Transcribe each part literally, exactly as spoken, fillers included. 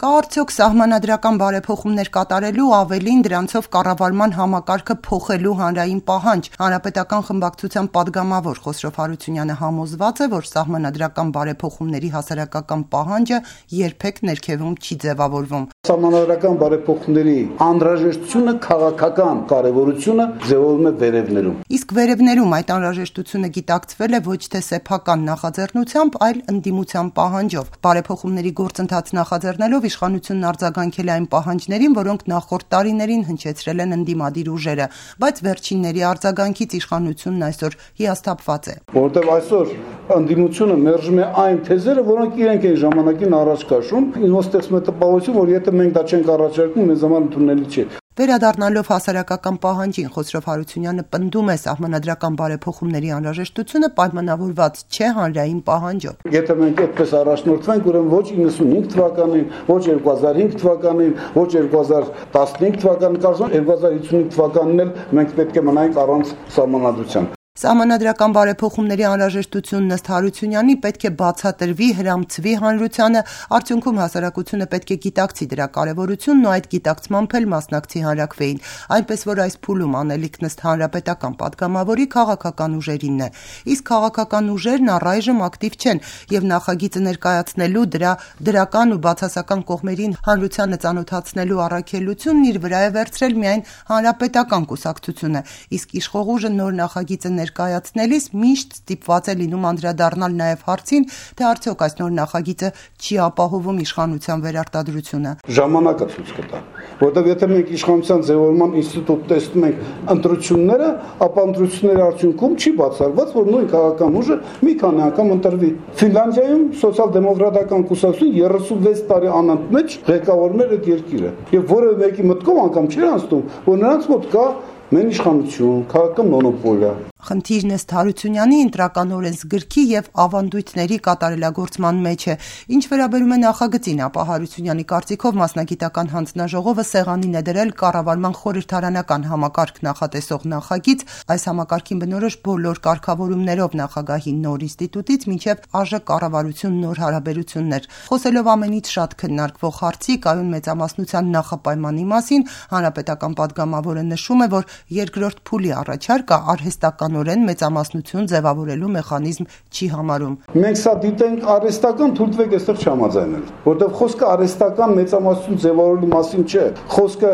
Կա արդյոք սահմանադրական բարեփոխումներ կատարելու, ավելին դրանցով կառավարման համակարգը փոխելու հանրային պահանջ։ Հանրապետական խմբակցության падգամավոր Խոսրով Հարությունյանը համոզված է, որ սահմանադրական բարեփոխումների հասարակական պահանջը երբեք ներքևում չի ձևավորվում։ Սահմանադրական բարեփոխումների անհրաժեշտությունը քաղաքական կարևորությունը ձևավորվում է վերևներում։ Իսկ վերևներում այդ անհրաժեշտությունը գիտակցվել է ոչ թե սեփական նախաձեռնությամբ, այլ ընդդիմության պահանջով։ Բարեփոխումների գործընթաց նախաձեռնելով իշխանությունն արձագանքել է այն պահանջներին, որոնք նախորդ տարիներին հնչեցրել են ընդդիմադիր ուժերը, բայց վերջինների արձագանքից իշխանությունն այսօր հիասթափված է։ Որտեղ այսօր ընդդիմությունը մերժում է այն թեզերը, որոնք իրենք են ժամանակին առաջ քաշում, ինձ ստեղծում է տպավորություն, որ եթե մենք դա չենք առաջարկում, մեզ համար ընդունելի չէ։ Վերադառնալով հասարակական պահանջին, Խոսրով Հարությունյանը պնդում է սահմանադրական բարեփոխումների անհրաժեշտությունը պայմանավորված չէ հանրային պահանջով։ Եթե մենք այդպես առաջնորդվենք, ուրեմն ոչ իննսունհինգ թվականին, ոչ երկու հազար հինգ թվականին, ոչ երկու հազար տասնհինգ թվականին, կարծում եմ երկու հազար հինգ թվականին էլ մենք պետք է մնայինք առանց սահմանադրության։ Սահմանադրական բարեփոխումների անհրաժեշտությունն ըստ Հարությունյանի պետք է բացատրվի, հրամցվի հանրությանը, արդյունքում հասարակությունը պետք է գիտակցի դրա կարևորությունն ու այդ գիտակցմամբ էլ մասնակցի հանրաքվեին, այնպես որ այս փուլում անելիքն ըստ հանրապետական падգամավորի քաղաքական ուժերինն է։ Իսկ քաղաքական ուժերն առայժմ ակտիվ չեն եւ նախագիծը ներկայացնելու, դրա դրական ու բացասական կողմերին հանրությանը ծանոթացնելու առաքելությունն իր վրա է վերցրել միայն հանրապետական կուսակցությունը, իսկ իշխող ուժը նոր նախագիծը ներկայացնելիս միշտ ստիպված է լինում անդրադառնալ նաև հարցին, թե արդյոք այս նոր նախագիծը չի ապահովում իշխանության վերարտադրությունը։ Ժամանակը ցույց կտա, որտեղ եթե մենք իշխանության ձևավորման ինստիտուտ տեսնում ենք ընտրությունները, ապա ընտրությունների արդյունքում չի բացառված, որ նույն քաղաքական ուժը մի քանի անգամ ընտրվի։ Ֆինլանդիայում սոցիալ-դեմոկրատական կուսակցությունը երեսունվեց տարի անընդմեջ ղեկավարում էր այդ երկիրը, եւ որևէ մեկի մտքով անգամ չէր անցնում, որ նրանց մոտ կա մեն իշխանություն, քաղաքական մոնոպոլիա։ Խնդիրն ըստ Հարությունյանի ընտրական օրենսգրքի եւ ավանդույթների կատարելագործման մեջ է։ Ինչ վերաբերում է նախագծին, ապա Հարությունյանի կարծիքով մասնագիտական հանձնաժողովը սեղանին է դրել կառավարման խորհրդարանական համակարգ նախատեսող նախագիծ, այս համակարգին բնորոշ բոլոր կարգավորումներով նախագահի նոր ինստիտուտից մինչև ԱԺ կառավարություն նոր հարաբերություններ։ Խոսելով ամենից շատ քննարկվող հարցի կայուն մեծամասնության նախապայմանի մասին, հանրապետական падգամավորը նշում է, որ երկրորդ փուլի առաջարկը արհեստականորեն մեծամասնություն ձևավորելու մեխանիզմ չի համարում։ Մենք սա դիտենք արհեստական, թույլտվեք այստեղ չհամաձայնել, որտեղ խոսքը արհեստական մեծամասնություն ձևավորելու մասին չէ, խոսքը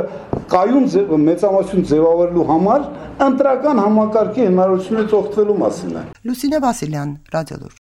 կայուն մեծամասնություն ձևավորելու համար ընտրական համակարգի հնարավորությունից օգտվելու մասին է։ Լուսինե Վասիլյան, Ռադիոլուր։